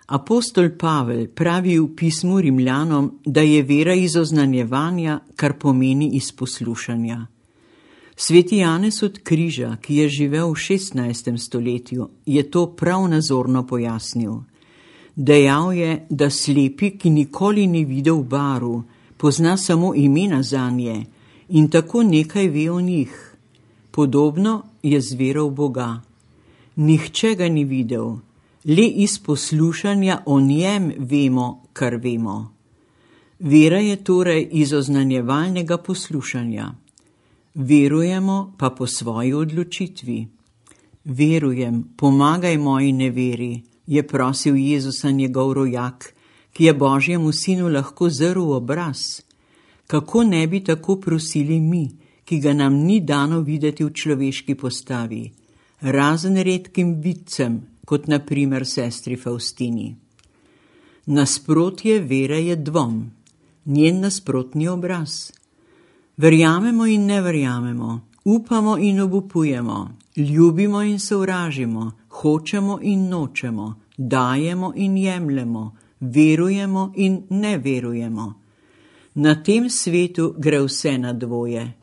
Apostol Pavel pravi v pismu Rimljanom, da je vera iz oznanjevanja, kar pomeni iz poslušanja. Sveti Janez od Križa, ki je živel v 16. stoletju, je to prav nazorno pojasnil. Dejal je, da slepi, ki nikoli ni videl barv, pozna samo imena zanje in tako nekaj ve o njih. Podobno je z vero v Boga. Nihče ga ni videl, le iz poslušanja o njem vemo, kar vemo. Vera je torej iz oznanjevalnega poslušanja. Verujemo pa po svoji odločitvi. Verujem, pomagaj moji neveri, je prosil Jezusa njegov rojak, ki je Božjemu sinu lahko zrl v obraz. Kako ne bi tako prosili mi, ki ga nam ni dano videti v človeški postavi, razen redkim vidcem, kot na primer sestri Faustini. Nasprotje vere je dvom, njen nasprotni obraz. Verjamemo in ne verjamemo, upamo in obupujemo, ljubimo in sovražimo, hočemo in nočemo, dajemo in jemljemo, verujemo in ne verujemo. Na tem svetu gre vse na dvoje.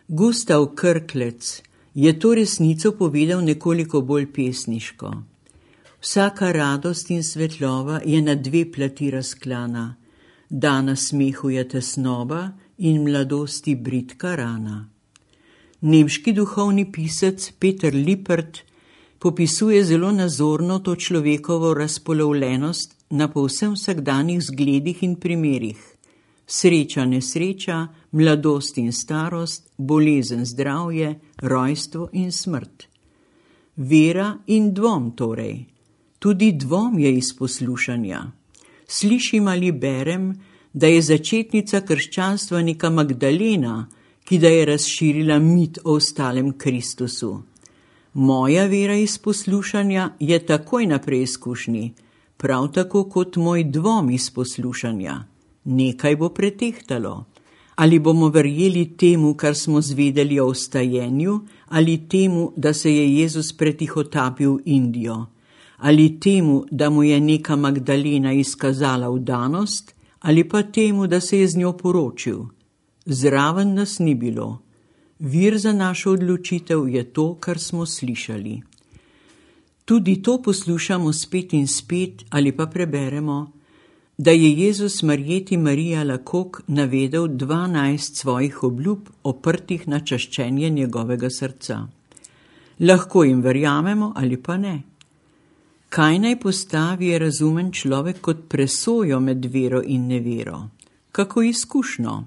Gustav Krklec je to resnico povedal nekoliko bolj pesniško. Vsaka radost in svetlova je na dve plati razklana. Dana smehu je tesnoba in mladosti bridka rana. Nemški duhovni pisec Peter Lippert popisuje zelo nazorno to človekovo razpolovljenost na povsem vsakdanjih zgledih in primerih. Sreča, nesreča, mladost in starost, bolezen, zdravje, rojstvo in smrt. Vera in dvom torej. Tudi dvom je iz poslušanja. Slišim ali berem, da je začetnica krščanstva neka Magdalena, ki da je razširila mit o ostalem Kristusu. Moja vera iz poslušanja je takoj na preizkušnji, prav tako kot moj dvom iz poslušanja. Nekaj bo pretehtalo. Ali bomo verjeli temu, kar smo zvedeli o vstajenju, ali temu, da se je Jezus pretihotapil v Indijo, ali temu, da mu je neka Magdalena izkazala vdanost, ali pa temu, da se je z njo poročil. Zraven nas ni bilo. Vir za našo odločitev je to, kar smo slišali. Tudi to poslušamo spet in spet ali pa preberemo, da je Jezus Marjeti Marija Lakok navedel 12 svojih obljub, oprtih na čaščenje njegovega srca. Lahko jim verjamemo ali pa ne. Kaj naj postavi je razumen človek kot presojo med vero in nevero? Kako izkušnjo?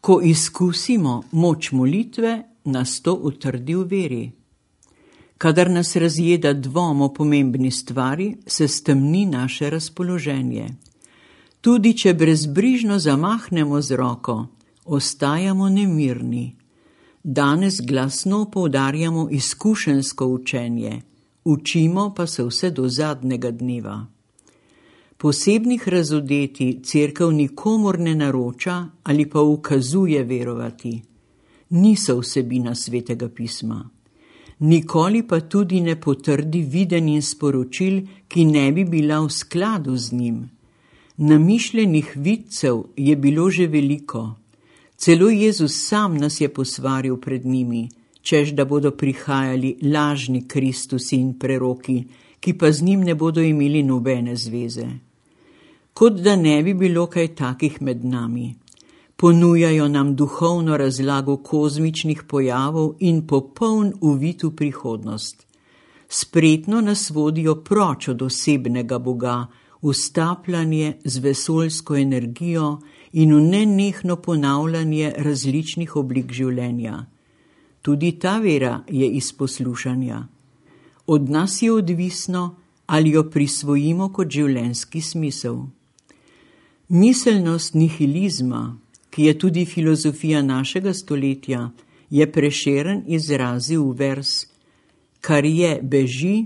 Ko izkusimo moč molitve, nas to utrdi v veri. Kadar nas razjeda dvom o pomembni stvari, se stemni naše razpoloženje. Tudi če brezbrižno zamahnemo z roko, ostajamo nemirni. Danes glasno poudarjamo izkušenjsko učenje, učimo pa se vse do zadnjega dneva. Posebnih razodeti cerkev nikomur ne naroča ali pa ukazuje verovati. Niso vsebina Svetega pisma. Nikoli pa tudi ne potrdi videnj in sporočil, ki ne bi bila v skladu z njim. Namišljenih vidcev je bilo že veliko. Celo Jezus sam nas je posvaril pred njimi, češ da bodo prihajali lažni Kristusi in preroki, ki pa z njim ne bodo imeli nobene zveze. Kot da ne bi bilo kaj takih med nami. Ponujajo nam duhovno razlago kozmičnih pojavov in popoln uvid v prihodnost. Spretno nas vodijo proč od osebnega Boga, v stapljanje z vesoljsko energijo in v nenehno ponavljanje različnih oblik življenja. Tudi ta vera je iz poslušanja. Od nas je odvisno, ali jo prisvojimo kot življenjski smisel. Miselnost nihilizma, ki je tudi filozofija našega stoletja, je Prešeren izrazil v vers: kar je, beži,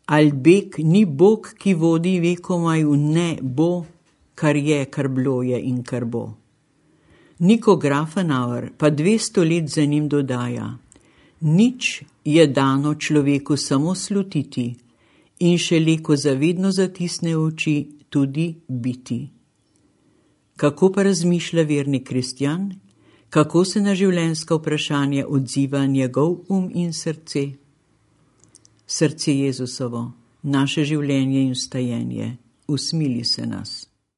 ali beg ni Bog, ki vodi vekomaj v ne bo, kar je, kar bilo je in kar bo. Niko Grafenauer pa 200 let za njim dodaja: nič je dano človeku samo slutiti in šele ko zavedno zatisne oči, tudi biti. Kako pa razmišlja verni kristjan? Kako se na življenjska vprašanja odziva njegov in srce? Srce Jezusovo, naše življenje in vstajenje, usmili se nas.